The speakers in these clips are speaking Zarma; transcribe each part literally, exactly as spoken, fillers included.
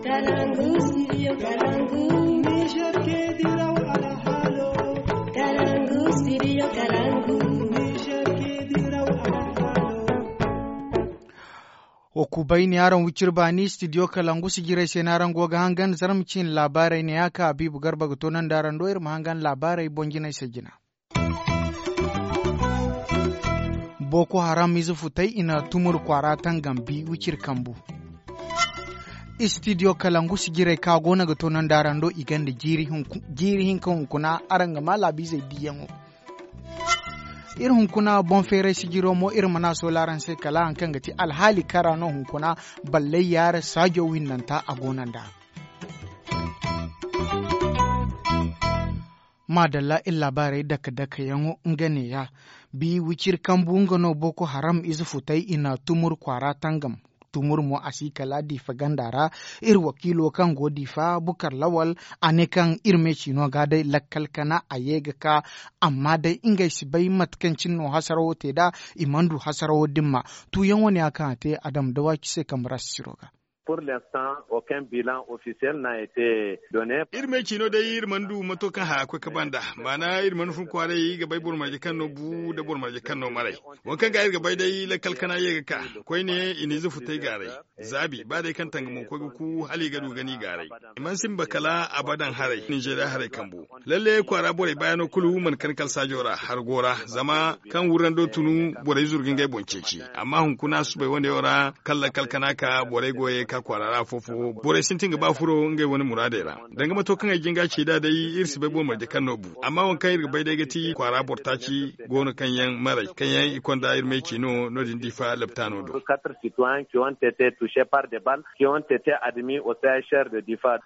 Kalangu, studio Kalangu. Niger ke diraw alhalo. Kalangu, studio Kalangu. Niger ke diraw alhalo. Wa kubayni araŋ wicir baani studio Kalangu sijirey se no araŋ go ga hangan zarma ciine laabaarey ne ya ka Habiibu Garba ga toonandi araŋ do iri ma hangan laabaarey boŋ jinay se jina. Boko Haram ize futay i na tumur kwaara tangam bi wiciri kambu. Istidiyo Kalangu sijirey ka go no ga toonandi araŋ do i gonda jiiri hinka hunkuna araŋ ga maa laabiizey diiyaŋo. Iri hunkuna boŋ feeray sijiro mo iri mana soola araŋ se kala hari kaŋ ga ti alhaali kara no hunkuna ballay yaara saajo windanta a go no nd'a. Maadalla iri laabaarey dake-dakeyaŋo nga neeya. Bi wiciri kambu nga no boko haram ize futay i na tumur kwaara tangam. Tumur mo a si kala diifa ganda ra. Iri wakiilo kaŋ go diifa bukar lawal a ne kaŋ iri me ciino ga day lakkal kana a ye ga ka. Amma day ngey si bay mate kaŋ cine no hasarawo te nd'a. I mana du hasarawo dimma. Tuuyaŋo ne ya kaŋ a te a dama dawaci se kambe ra sisiro ga. Pour l'instant aucun bilan officiel n'a été donné. Iri me ciino day iri mana du mato kaŋ haya koy ka banda. Maana iri mana fun kwaaray ga bay boro marje kaŋ no bu nda boro marje kaŋ no maray. Waŋ kaŋ ga iri ga bay day lakkal kana ye ga ka koyne i na ize futay gaaray. Zaabi ba day kaŋ tangamo koy ga ku hala i ga du ga ni gaaray. I mana simba kala abadan haray ninzeeriya haray kambu. Lalle kwaara borey baayano kulu mana kan kala saajo ra hargo ra zama kaŋ wurrando tunu borey zuru ga ngey boŋ ceeci. Amma hunkuna subay wane yaŋ ra kala lakkal kana ka borey go ye ka kwaara ra afo-fo borey sintin ga ba furo ngey wane muraadey ra. Danga mato kaŋ ay jinga ci nd'a day iri si bay boro marje kaŋ no bu. Amma waŋ kaŋ iri ga bay day ga ti kwaara boro taaci go no kaŋ yaŋ maray kaŋ yaŋ i konda iri may ci no no- din diifa laptaano do. Quatre citoyens qui ont été touchés par des balles qui ont été admis au c h r de difa.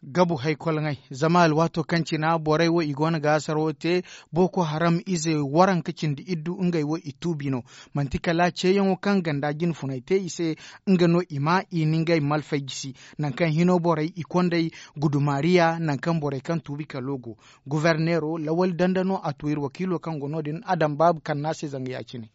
Gabu haykoloŋey zama alwaato kaŋ cina borey wo i go no ga hasaro te. Boko haram ize waranka cindi iddu ngey wo i tuubi no. Manti kala ceeyaŋo kaŋ ganda jinfuney te i se nga no i ma i na ngey malfay gisi. Nangu kaŋ hino borey i kondey gudumaariya nangu kaŋ borey kaŋ tuubi kalo go. Guferneero lawali danda no a tu iri wakiilo kaŋ go no- din adam baabu kanna se zanga ya- cine.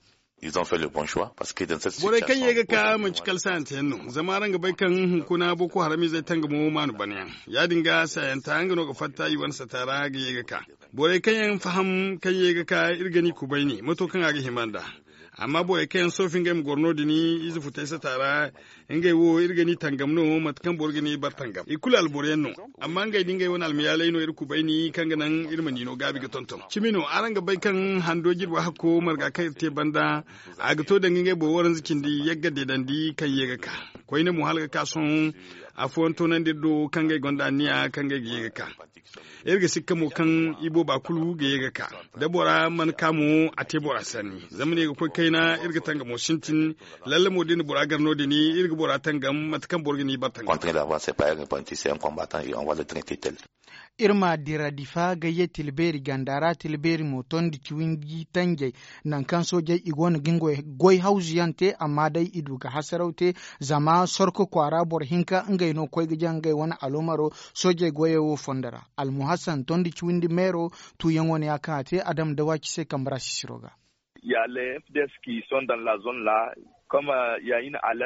Borey kaŋ ye ga ka manci kala saayante yaŋ no zama araŋ ga bay kaŋ hunkuna boko haram izey tangamo maanu bana yaŋ. Ya- din ga saayanta nga no ga fatta i wane sata ra ga ye ga ka. Borey kaŋ yaŋ faham kaŋ ye ga ka iri ga ni kubayni mato kaŋ a ga hima nd'a. Amma borey kaŋ yaŋ soofi ngey ma goro no- din ize futay sata ra. Ngey wo iri ga ni tangam no mate kaŋ boro ga ni bar tangam i kulu alboro yaŋ no. Amma ngey da ngey wane almayaaley no iri kubayni kaŋ ga naŋ iri ma ni no gaabi ga tonton cimi no araŋ ga bay kaŋ hando jirbi hakko marga kaŋ iri te banda. A ga to danga ngey boro waranza cindi yagga deedandi kaŋ ye ga ka koyne mo hala ga ka sohõ. Afooyaŋ toonandi iri do kaŋ ngey gonda anniya kaŋ ngey ga ye ga ka. Iri ga sikka mo kaŋ ibooba kulu ga ye ga ka da bora mana ka mo a te bora sanni zama ne ga koy kayna iri ga tangamo sintin. Lalle mo da ni bora gar no- din iri ga bora tangam mate kaŋ boro ga ni bar tangam. Iri ma dira difa gayye tilbeeri ganda ra tilbeeri mo tondi ciwindi tanjey. Nangu kaŋ soojey i go no ga ngey goy hawzu yaŋ te amma day i du ga hasaraw te. Zama sorko kwaara boro hinka ngey no koy ga jaŋ ngey wane aloomaro. Soojey goyey wo fondo ra almuhassan tondi ciwindi meero. Tuuyaŋo ne ya kaŋ a te adam da waaci se kambe ra sisiro ga.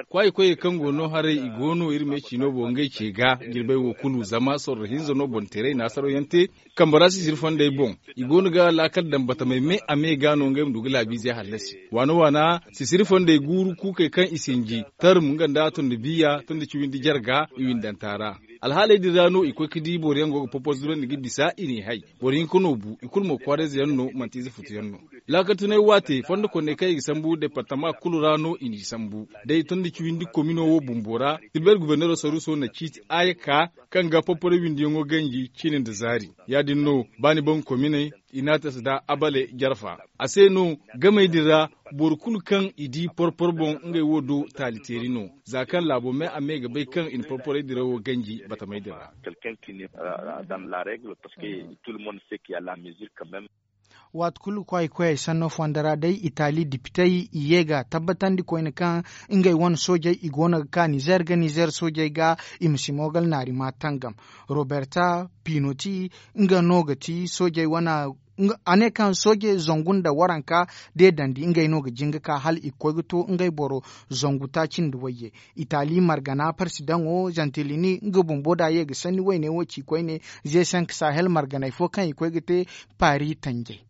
Kwaayey koyey kaŋ go no haray i go no iri me ciino boŋ ngey ce ga jirbey wo kulu zama sorro hinza no boŋ teeray naasaraw yaŋ te. Kambe ra sisiri fondey boŋ i go no ga laakal daŋ batamey me a me ga no ngey ma du ga laabiizey hallasi waana waana sisiri fondey guuru kuukey kaŋ i sinji tarm nga nda tondi biya tondi ciwindi jarga i windanta ra. Alhaaley din ra no i koy ga di boro yaŋ go ga poporzurandi ga bisa i n'i hay. Boro hinka no bu i kulu mo kwaarayze yaŋ no manti ize futu yaŋ no. Laakatunay waate fondo konney kaŋ i ga sambu departama kulu ra no i n'i sambu. Day tondi ciwindi komino wo bumbo ra tilbeeri guberneero saruuso na ciiti aaya ka kaŋ ga porporay windiyaŋo ganji ciine nda zaari. Ya- din no ba ni baŋ kominey inatas nda abale jarfa. A se no gamey din ra boro kulu kaŋ i di porpor boŋ ngey wo do taali teeri no. Za kaŋ laabo me a me ga bay kaŋ i na porporay dirawo ganji batamey din ra. Waati kulu kwaay koyey sanno fonda ra day itaali dipitey i ye ga tabbatandi koyne kaŋ ngey wane soojey i go no ga ka nizer ga nizer soojey ga i ma si moogal naari ma tangam. Roberta pinoti nga no ga ti soojey wane A ne kaŋ sooje zangu nda waranka deedandi ngey no ga jin ga ka hala i ga koy ga to ngey boro zangu taaci nda wayye. Itali margana parsidaŋo zantilini nga bumbo da ye ga sanni wayne wo ci koyne. Ze senk sahel marganay fo kaŋ i koy ga te paari tanjay.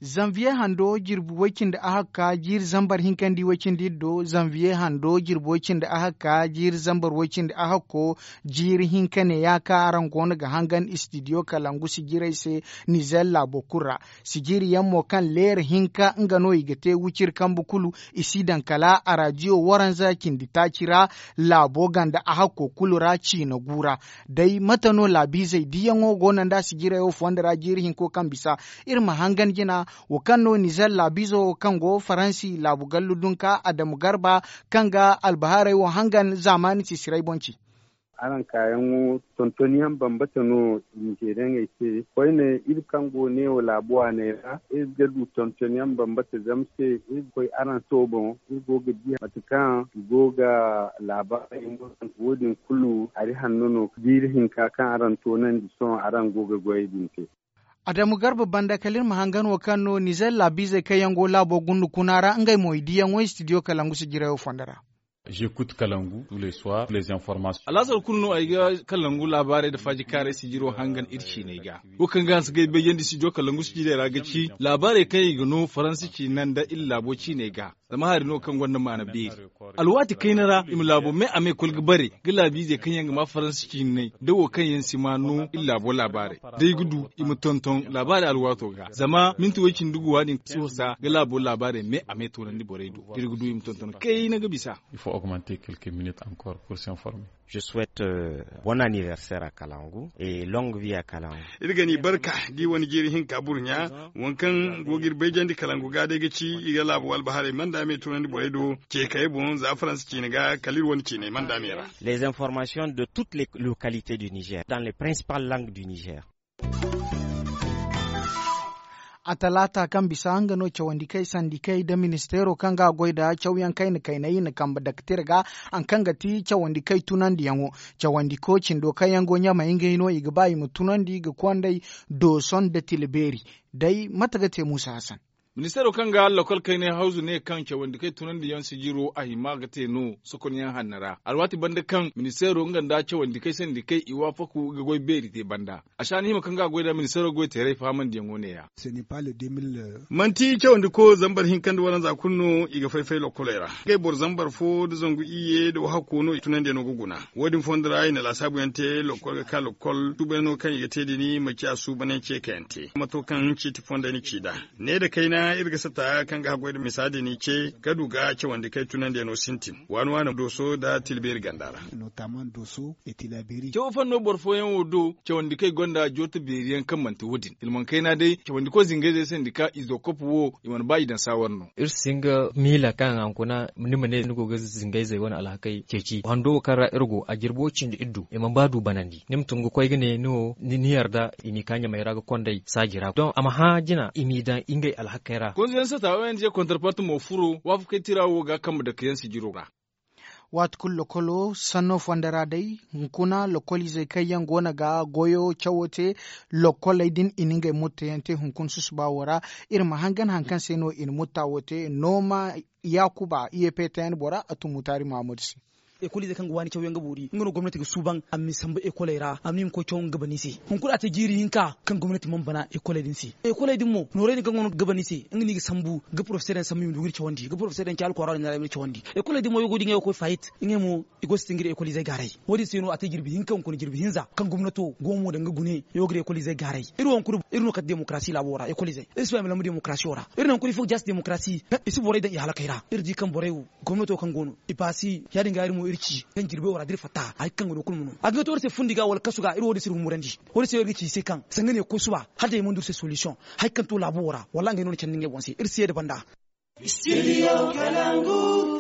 Zanviye hando jirbi way-cindi ahakka jiiri zambar hinkandi way-cindi iddo zanviye hando jirbi way-cindi ahakka jiiri zambar way-cindi ahakko. Jiiri hinka ne ya kaŋ araŋ go no ga hangan istidiyo kalangu sijirey se. Nizer laabo kulu ra sijiri yaŋ mo kaŋ leera hinka nga no i ga te wiciri kambe kulu. I si daŋ kala arajiyo waranza cindi taaci ra. Laabo ganda ahakko kulu ra ciina gu ra. Day mate no laabiizey diyaŋo go no nda sijirey wo fondo ra jiiri hinko kaŋ bisa iri ma hangan jina wo kaŋ no nizer laabiizo wo kaŋ go faransi laabu gallu dunka adamu garba kaŋ ga albahaarey wo hangan zaamaani sisiray boŋ ci. Araŋ kaayaŋo tontonyaŋ bambata no. Nizeeriyaŋey se koyne iri kaŋ go neewo laabu waaney ra iri ga du tontonyaŋ bambata zama se iri ga koy araŋ se wo boŋ. Iri go ga di mate kaŋ i go ga laabaarey no. Wo- din kulu hari hanno no jiiri hinka kaŋ araŋ toonandi sohõ araŋ go ga goyey din te. Adamu garba banda kala iri ma hangan wo kaŋ no nizer laabiizey kaŋ yaŋ go laabo gundu kuna ra ngey mo i diyaŋo istidiyo kalangu sijirayo fondo ra. J'écoute kalangu tous les soirs les informations. Alaasar kulu no ay ga kalangu laabaarey nda faaji kaaray sijiro hangan iri ciiney ga. Wo kaŋ ga hanse ga ay bayandi sijiro kalangu sijirey ra ga ci laabaarey kaŋ i ga no faransi ciina nda iri laabo ciiney ga. Zama hari no kaŋ gonda maana beeri. Alwaati kayna ra i ma laabo me a me koy ga bare ga laabiizey kaŋ yaŋ ga ma faransi ciiney nda wo kaŋ yaŋ si ma no iri laabo laabaarey da ay ga du i ma tonton laabaarey alwaato ga zama minti way-cindi guwa din si husa ga laabo laabaarey me a me toonandi borey do da iri ga du i ma tonton kayna ga bisa. Il faut augmenter quelques minutes encore pour s'informer. Je souhaite bonne anniversaire à kalangu et longue vie à kalangu. Iri ga ni barka da i wane jiiri hinka burɲa. Waŋ kaŋ go ga iri bayjandi kalangu ga day ga ci i ga laabo albahaarey manda me tunandi borey do. Ce kayey boŋ za faransa ciine ga kala iri wane ciiney manda me ra. Les informations de toutes les localités du niger dans les principales langues du niger. A talaata kaŋ bisa nga no cawandi kay sandi kay nda ministeero kaŋ ga a goy nda cawyaŋ kayna kaynay i na kambe daktir ga. Haŋ kaŋ ga ti cawandi kay tunandiyaŋo cawandi ko cindo kaŋ yaŋ go ɲamay ngey no i ga ba i ma tunandi ga konday dooso nda tila beeri. Day mate ga te muusa hasan. Ministeero kaŋ ga lakkol kaynay hawzu ne kaŋ cawandi kay tunandiyaŋ sijiro a hima ga te no sokonyaŋ hanna ra alwaati banda kaŋ ministeero nga nda cawandi kay sandi kay i waafaku ga goy beeri te banda. A si a na hima kaŋ ga a goy nda ministeero goy teeray fahamandiyaŋo ne- ya. Manti cawandi ko zambar hinka nda waranza kulu no i ga fay-fay lokkoley ra. Ngey boro zambar fo nda zangu iyye nda wahakko no i tunandiyaŋo ga guna. Wo- din fondo ra i na laasaabuyaŋ te lokkol ga ka lokkol suubanyaŋo kaŋ i ga te din ma ciya suubanyaŋ ce kayaŋ te mato kaŋ ciiti fondey na ci nd'a. Ne nda kayna iri ga sata kaŋ ga haggoy nda misa din i ce ga du ga cawandi kay tunandiyaŋo sintin waani waani dooso nda tilbeeri ganda ra. Cawo fanno boro fooyaŋ wo do cawandi kaŋ i gonda joota beeriyaŋ kaŋ manti wo- din hilmaŋ kayna day cawandi koy zingayzey sandika izokop wo i mana ba i daŋ saawar no. Iri si hin ga miila kaŋ a hunkuna ni ma ne ni go ga zingayzey wane alhakey ceeci hando wo kaŋ ra iri go a jirbi wo cindi iri du i mana ba du banandi ni ma tun ga koy ga ne ni wo ni yarda i n'i ka ɲamey ra ga konday saaji ra don a ma hã jina i m'i daŋ ngey alhakey ra. Konzo yaŋ sata ong kontarpart mo furo waafakey tira wo ga kambe dake yaŋ sijiro ra. Waati kulu lokolo sanno fonda ra day hunkuna lokoliizey kaŋ yaŋ go no ga goyo cawo te. Lokoley din i na ngey motto yaŋ te hunkuna susuba wo ra. Iri ma hangan hari kaŋ se no i na mutta wo te nooma yaakuba i ye peetayaŋ bora a tun mutaari mahammadu se. Ekoliizey kaŋ ga waani caw yaŋ ga boori nga no gomnati ga suuban a ma ni sambu ekoley ra a ma ni ma koy caw nga ga ban ni se. Hunkuna a te jiiri hinka kaŋ gomnati mana bana ekoley din se. Ekoley din mo noorey din kaŋ go no ga ban ni se nga no i ga sambu ga porofeseer yaŋ sambu i ma du ga iri cawandi ga porofeseer yaŋ ci alkwaara din ra i ma iri cawandi. Ekoley din mo yogo din yaŋ ga koy faayit ngey mo i go ga sintin ga iri ekolizey gaaray. Wo- din se no a te jirbi hinka hunkuna jirbi hinza kaŋ gomnato go mo daŋ ga gune yogo ga iri ekolizey gaaray. Iri wo hunkuna iri no kate demokarasi laabo ra ekolizey iri si ba i ma lamba demokarasiyo ra. Iri no hunkuna ifo ga jaasi demokarasi kaŋ i si borey daŋ i halakey ra iri di kaŋ borey wo gomnato kaŋ go no i baasi ya- din ga iri mo iri ci kaŋ jirbey wo ra da iri fatta hari kaŋ ga no kulu ma no a ga to iri se fundi ga wala kasu ga iri wo- din se iri humurandi. Wo- din se iri ga ci i se kaŋ sanga ne ga koy suba hala day i mana du iri se solisiyoŋ. Hari kaŋ to laabo wo ra wallaahi ngey no na candi ngey boŋ se iri si ye da banda.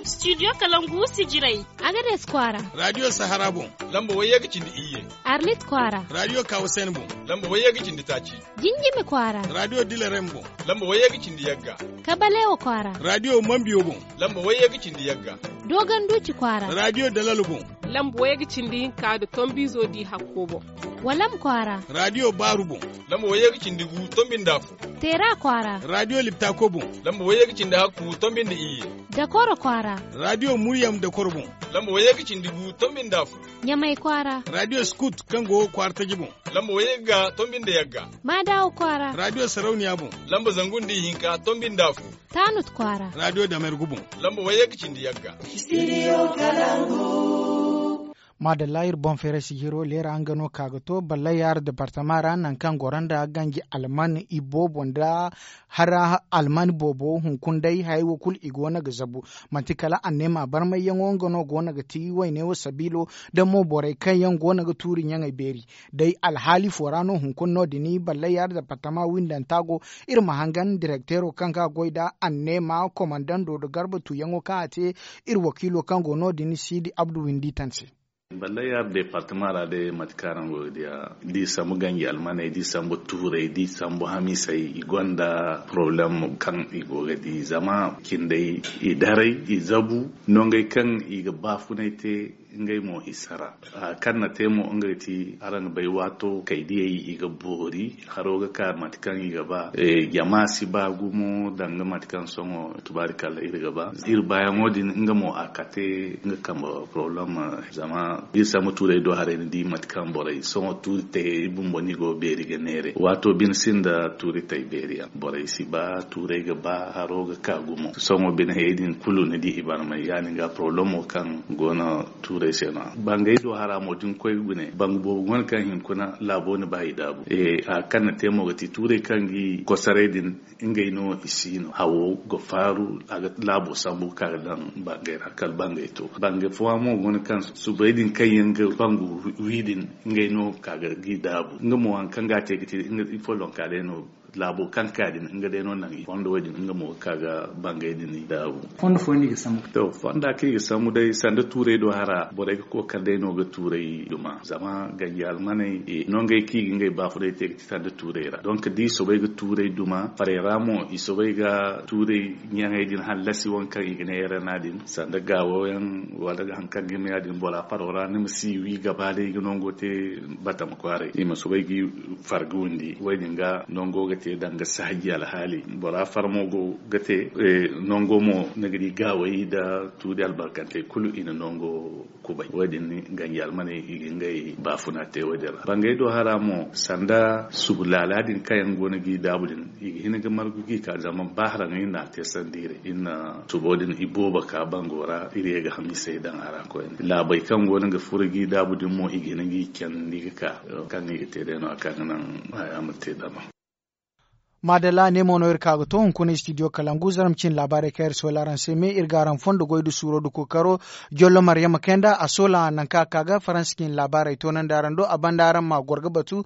Studio kalangu sijirey. Agades kwaara. Radiyo sahara boŋ. Lamba wayye ga cindi iyye. Arlit kwaara. Radiyo kawusani boŋ. Lamba wayye ga cindi taaci. Jinjimi kwaara. Radiyo dilarem boŋ. Lamba wayye ga cindi yagga. Kabalewa kwaara. Radiyo mambiyo boŋ. Lamba wayye ga cindi yagga. Dogon duuci kwaara. Radiyo dalal boŋ. Lamba wayye ga cindi hinka nda tombiizo di hakko boŋ. Walam kwaara. Raadiyo baaru boŋ. Lamba wayye ga cindi gu tombi nda afo. Teera kwaara. Raadiyo liptako boŋ. Lamba wayye ga cindi hakku tombi nda iyye. Dakoro kwaara. Raadiyo muryam dakoro boŋ. Lamba wayye ga cindi gu tombi nda afo. Ɲamay kwaara. Raadiyo skut kaŋ go kwaara taji boŋ. Lamba wayye ga tombi nda yagga. Maadawa kwaara. Raadiyo sarauniya boŋ. Lamba zangu nda ihinka tombi nda afo. Taanut kwaara. Raadiyo damergu boŋ. Lamba wayye ga cindi yagga. Studio Kalangu. Maadalla iri boŋ feeray sijiro leera nga no ka ga to ballayar departama ra nangu kaŋ goro nda ganji alman iboobo nda hara alman boobo hunkuna day hayey wo kulu i go no ga zabu. Manti kala anneema barmayyaŋo nga no go no ga ti wayne wo sabiilo da mo borey kaŋ yaŋ go no ga tuuri ɲaŋey beeri. Day alhaali fo ra no hunkuna no- din ballayar departama windanta go. Iri ma hangan direkteero kaŋ ga goy nda anneema komandando nda garba tuuyaŋo kaŋ a te iri wakiilo kaŋ go no- din siidi abdu windi tan se. Ballay yaŋ departama ra day mate kaŋ araŋ go ga diya, da i sambu ganji almaney, da i sambu tuurey, da i sambu hamisey, i gonda poroblem kaŋ i go ga di zama cindey i daray, i zabu nongey kaŋ i ga baafunay te. Ngey mo i sara. Kaŋ na te mo nga ga ti araŋ ga bay waato kaydiyey i ga boori, haro ga ka mate kaŋ i ga ba. Jama si ba gumo danga mate kaŋ sohõ tubaari kala iri ga ba. Iri baayaŋo din nga mo a kate nga kambe problem. Zama iri sambu tuurey do haray ni di mate kaŋ borey sohõ tuuri tayey bumbo no i go beeri ga neere waato bine sinda tuuri tay beeri yaŋ borey si ba tuurey ga ba haro ga ka gumo sohõ bine hayey din kulu ni di i barmay ya- din ga problemo kaŋ go no tuurey se no. Bangey do hara mo da ni koy gune bangu boobo go no kaŋ hinkuna laabo ni ba i daabu. Hari kaŋ na te mo ga ti tuurey kaŋ ga i kosaray din ngey no i si no hawo ga faaru a ga laabo sambu ga ka ga daŋ bangey ra kala bangey to. Bangey fooyaŋ mo go no kaŋ subay din kaŋ yaŋ ga bangu wi din ngey no ga ka ga i daabu nga mo hari kaŋ ga a te ga ti nga ifollonka day no. Laabo kaŋ ka din nga day no naŋ i fondo wo- din nga mo ga ka ga bangey din i daabu. Fondo fooyaŋ no i ga sambu? To fonda kaŋ i ga sambu day sanda tuurey do hara borey ga kookari day no ga tuurey duma zama ganji almaney no ngey kaŋ i ga ngey baafunay te ga ti sanda tuurey ra donk da i soobay ga tuurey duma farey ra mo i soobay ga tuurey ɲaŋey din hallasi waŋ kaŋ i ga ne rna din sanda gaawo yaŋ wala hari kaŋ ga hima ya- din bora faro ra ni ma si wi gaba day ga nango te. Batama kwaaray i ma soobay ga i far ga windi wo- din ga nango ga te danga saaji alhaali bora far mo go ga te. Nango mo ni ga di gaawey nda tuuri albarkantey kulu i na nango kubay wo- din ganji almaney i ga ngey baafuna te wo- din ra bangey do hara mo sanda subu laala din kaŋ yaŋ go no ga i daabu din i ga hin ga margu ga i ka zama ba haraŋ iri na a te sanda iri iri na subo din iboobo ka bango ra iri ye ga hamisey daŋ a ra koyne laabey kaŋ go no ga furo ga i daabu din mo i ga hin ga i candi ga ka kaŋ i ga te day no- ya kaŋ ga naŋ haya ma te dama. Maadalla ne mo no iri ka ga to hunkuna studio kalangu zarma cine laabaarey kaŋ iri soola araŋ se me iri ga araŋ fondo goy nda suuro nda kookaro. Jollo maryama kayanda a soola nangu kaŋ a ka ga faransa cine laabaarey toonandi araŋ do a banda araŋ ma goro ga batu.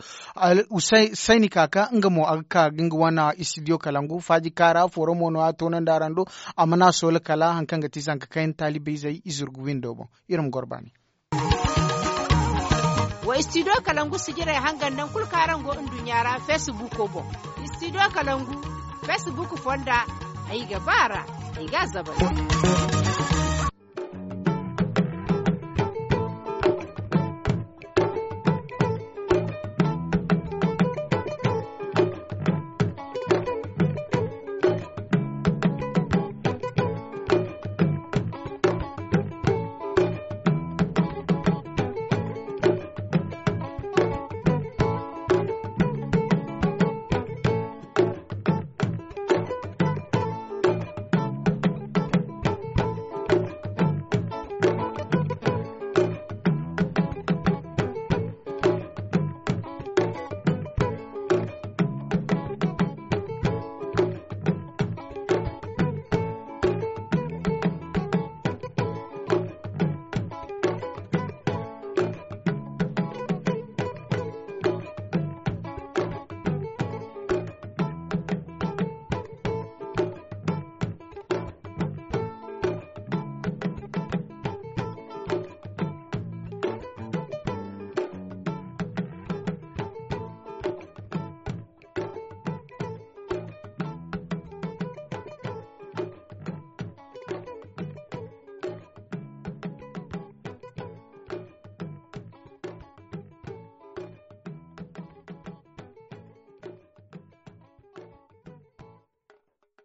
Sayni kaaka nga mo a ga ka ga nga wane studio kalangu faaji kaara fooro mo no a toonandi araŋ do. A mana soola kala hari kaŋ ga ti zanka kayna taalibey izey i zurgu windo boŋ. Iri ma goro baani. Wa studio kalangu sijirey hangan nangu kulu kaŋ araŋ go nduɲɲa ra facebook boŋ. Studio kalangu facebook fonda ay ga ba a ra ay ga a zabari.